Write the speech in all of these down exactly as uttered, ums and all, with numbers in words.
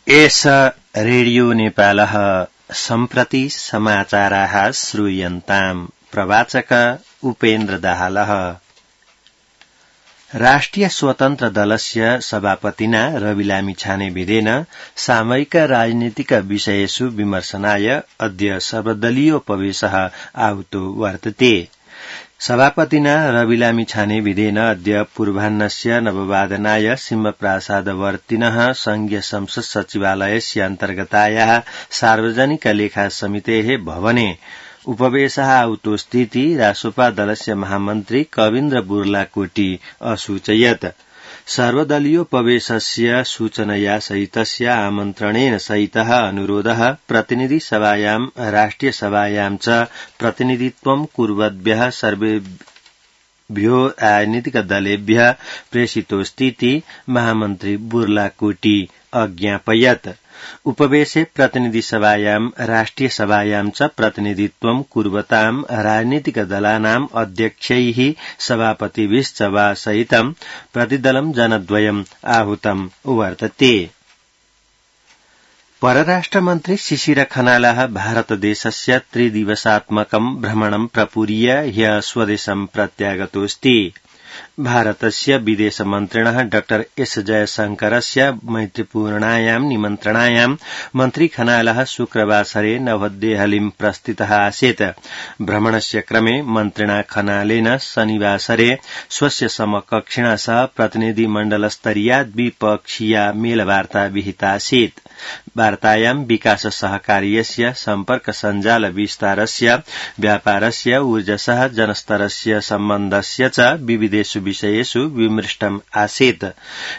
एष रेडियो नेपालः सम्प्रति समाचाराः श्रूयन्ताम्। प्रवाचक उपेन्द्र दाहालः। राष्ट्रिय स्वतन्त्र दलस्य सभापतिना रवि लामिछानेविदेन सामयिक राजनीतिक विषयेषु विमर्शनाय अद्य सर्वदलीयोपवेशः आहुतो वर्तते। सभापतिना रवि लामिछानेविदेन अद्य पूर्वाह्नस्य नववादनाय सिंहप्रासादवर्तिनः संघीय संसद सचिवालयस्य अन्तर्गतायाः सार्वजनिक लेखा समितेः भवने उपवेशः आहुतोस्तीति रासोपा दलस्य महामन्त्री कविन्द्र बुर्लाकोटी असूचयत्। सर्वदलीयोपवेशस्य सूचनया सहितस्य आमन्त्रणेन सहितः अनुरोधः प्रतिनिधि सभायां राष्ट्रिय सभायां च प्रतिनिधित्वं कुर्वद्भ्यः सर्वेभ्यो राजनीतिक दलेभ्यः प्रेषितोस्तीति महामन्त्री बुर्लाकोटी अज्ञापयत्। उपवेशे प्रतिनिधि सभायां राष्ट्रिय सभायां च प्रतिनिधित्वं कुर्वतां राजनीतिक दलानाम् अध्यक्षैः सभापतिभिश्च वा सहितं प्रतिदलं जनद्वयम् आहूतं वर्तते। परराष्ट्रमन्त्री शिशिर खनालः भारतदेशस्य त्रिदिवसात्मकं भ्रमणं प्रपूर्य ह्यः स्वदेशं प्रत्यागतोऽस्ति। भारतस्य विदेशमन्त्रिणः डॉ एस जयशंकरस्य मैत्रीपूर्णायां निमन्त्रणायां मन्त्री खनालः शुक्रवासरे नवदेहलीं प्रस्थितः आसीत्। भ्रमणस्य क्रमे मन्त्रिणा खनालेन शनिवासरे स्वस्य समकक्षिणा सह प्रतिनिधिमण्डलस्तरीया द्विपक्षीया मेलवार्ता विहितासीत्। वार्तायां विकास सहकार्यस्य सम्पर्क सञ्जाल विस्तारस्य व्यापारस्य ऊर्जसह जनस्तरस्य सम्बन्धस्य च विविधेषु विषयेषु विमृष्टम् आसीत्।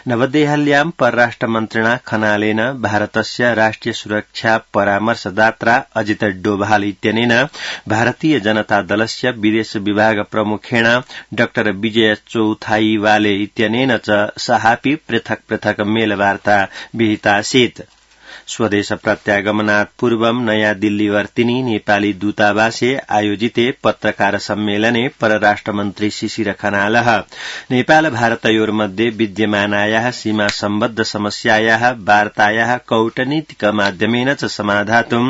नवदेहल्यां परराष्ट्रमन्त्रिणा खनालेन भारतस्य राष्ट्रिय सुरक्षा परामर्शदात्रा अजित डोभाल इत्यनेन भारतीय जनता दलस्य विदेश विभाग प्रमुखेण डॉ विजय चौथाईवाले इत्यनेन च सहापि पृथक् पृथक् मेलवार्ता विहितासीत्। स्वदेश प्रत्यागमनात् पूर्वं नयाँ दिल्लीवर्तिनि नेपाली दूतावासे आयोजिते पत्रकार सम्मेलने परराष्ट्रमन्त्री शिशिर खनालः नेपाल भारतयोर्मध्ये विद्यमानायाः सीमा सम्बद्ध समस्यायाः वार्तायाः कौटनीतिक माध्यमेन च समाधातुं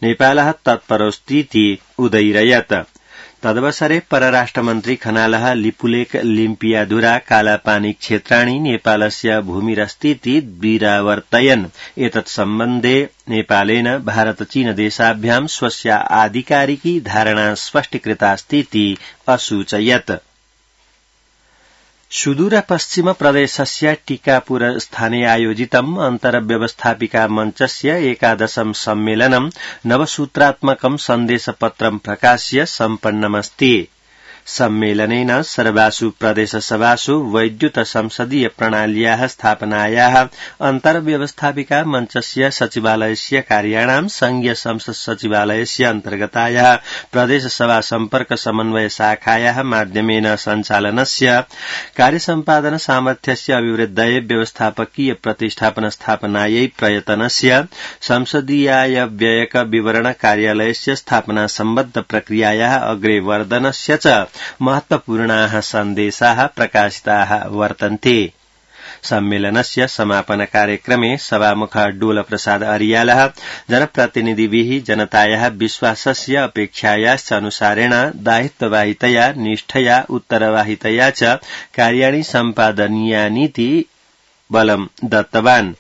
नेपालः तत्परोऽस्तीति उदयिरयत्। तदवसरे परराष्ट्रमन्त्री खनालः लिपुलेख लिम्पियाधुरा कालापानी क्षेत्राणि नेपालस्य भूमिरस्तीति द्विरावर्तयन्। एतत् सम्बन्धे नेपालेन भारत चीन देशाभ्यां स्वस्य आधिकारिकी धारणा स्पष्टीकृतास्तीति असूचयत्। सुदूर पश्चिम प्रदेशस्य टीकापुर स्थाने आयोजितम् अन्तर्व्यवस्थापिका मञ्चस्य एकादशं सम्मेलनं नवसूत्रात्मकं सन्देशपत्रं प्रकाश्य सम्पन्नमस्ति। सम्मेलनेन सर्वासु प्रदेशसभासु वैद्युत संसदीय प्रणाल्याः स्थापनायाः अन्तर्व्यवस्थापिका मञ्चस्य सचिवालयस्य कार्याणां संघीय संसद सचिवालयस्य अन्तर्गतायाः प्रदेशसभा सम्पर्क समन्वय शाखायाः माध्यमेन सञ्चालनस्य कार्यसम्पादन सामर्थ्यस्य अभिवृद्धये व्यवस्थापकीय प्रतिष्ठापन स्थापनायै प्रयतनस्य संसदीयाय व्ययक विवरण कार्यालयस्य स्थापना सम्बद्ध प्रक्रियायाः अग्रे वर्धनस्य च महत्वपूर्णाः सन्देशाः प्रकाशिताः वर्तन्ते। सम्मेलनस्य समापन कार्यक्रमे सभामुख डोल प्रसाद अरियालः जनप्रतिनिधिभिः जनतायाः विश्वासस्य अपेक्षायाश्च अनुसारेण दायित्ववाहितया निष्ठया उत्तरवाहितया च कार्याणि सम्पादनीयानीति बलं दत्तवान्।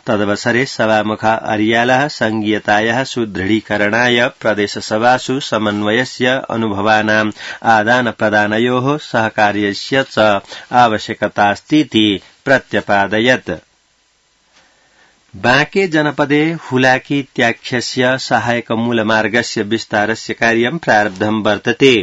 तदवसरे सभामुख अरियालः संघीयतायाः सुदृढीकरणाय प्रदेशसभासु समन्वयस्य अनुभवानाम् आदानप्रदानयोः सहकार्यस्य च आवश्यकतास्तीति प्रत्यपादयत्। बाँके जनपदे हुलाकीत्याख्यस्य सहायक मूलमार्गस्य विस्तारस्य कार्यं प्रारब्धं वर्तते।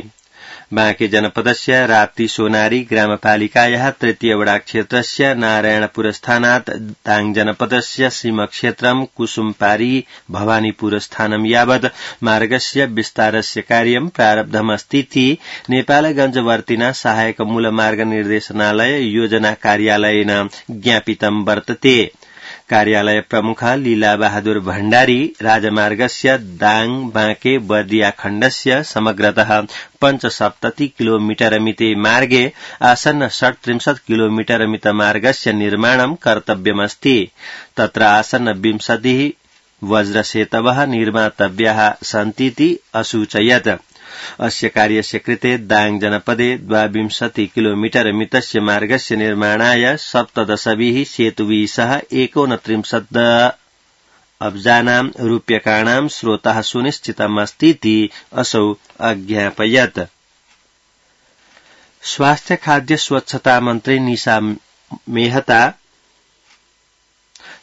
बाँके जनपदस्य राप्ती सोनारी ग्रामपालिकायाः तृतीय वडा क्षेत्रस्य नारायणपुरस्थानात् दाङ जनपदस्य सीमक्षेत्रं कुसुमपारी भवानीपुरस्थानं यावत् मार्गस्य विस्तारस्य कार्यं प्रारब्धमस्तीति नेपालगञ्जवर्तिना सहायक मूलमार्ग निर्देशनालय योजना कार्यालयेन ज्ञापितं वर्तते। कार्यालय प्रमुख लीला बहादुर भण्डारी राजमार्गस्य दाङ बाँके बर्दिया खण्डस्य समग्रतः पञ्चसप्तति किलोमीटर मिते मार्गे आसन्न षट्त्रिंशत् किलोमीटर मित मार्गस्य निर्माणं कर्तव्यमस्ति। तत्र आसन्न विंशतिः वज्रसेतवः निर्मातव्याः सन्तीति असूचयत्। अस्य कार्यस्य कृते दाङ जनपदे द्वाविंशति किलोमीटर मितस्य मार्गस्य निर्माणाय सप्तदशभिः सेतुभिः सह एकोनत्रिंशत् अब्जानां रूप्यकाणां स्रोतः सुनिश्चितमस्तीति असौ अज्ञापयत्। स्वास्थ्य खाद्य स्वच्छता मन्त्री निशा मेहता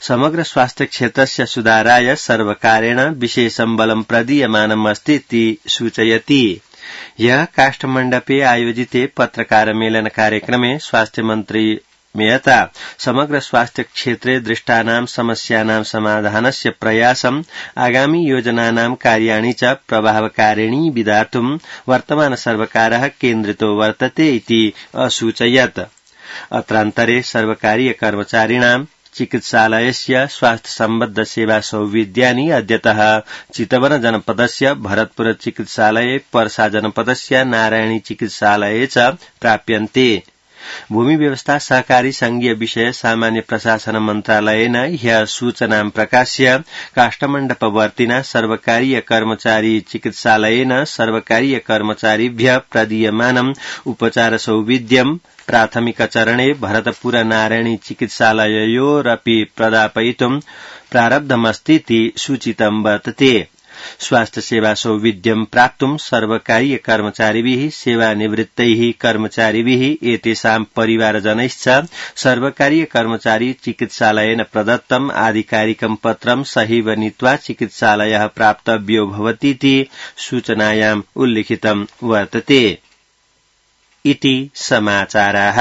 समग्र स्वास्थ्य क्षेत्रस्य सुधाराय सर्वकारेण विशेषं बलं प्रदीयमानमस्तीति सूचयति। ह्यः काष्ठमण्डपे आयोजिते पत्रकार मेलन कार्यक्रमे स्वास्थ्य मन्त्री मेहता समग्र स्वास्थ्य क्षेत्रे दृष्टानां समस्यानां समाधानस्य प्रयासम् आगामी योजनानां कार्याणि च प्रभावकारिणी विधातुं वर्तमान सर्वकारः केन्द्रितो वर्तते इति असूचयत्। अत्रान्तरे सर्वकारीय कर्मचारिणां चिकित्सालयस्य स्वास्थ्य सम्बद्ध सेवा सौविध्यानि अद्यतः चितवन जनपदस्य भरतपुर चिकित्सालये पर्सा जनपदस्य नारायणी चिकित्सालये च प्राप्यन्ते। भूमि व्यवस्था सहकारी संघीय विषय सामान्य प्रशासन मन्त्रालयेन ह्यः सूचनां प्रकाश्य काष्ठमण्डपवर्तिना सर्वकारीय कर्मचारी चिकित्सालयेन सर्वकारीय कर्मचारिभ्यः प्रदीयमानम् उपचार सौविध्यम् प्राथमिक चरणे भरतपुर नारायणी चिकित्सालययोरपि प्रदापयितुं प्रारब्धमस्तीति सूचितं वर्तते। स्वास्थ्य सेवा सौविध्यं प्राप्तुं सर्वकारीय कर्मचारिभिः सेवानिवृत्तैः कर्मचारिभिः एतेषां परिवारजनैश्च सर्वकारीय कर्मचारी चिकित्सालयेन प्रदत्तम् आधिकारिकं पत्रं सहीव नीत्वा चिकित्सालयः प्राप्तव्यो भवतीति सूचनायाम् उल्लिखितं वर्तते। इति समाचाराः।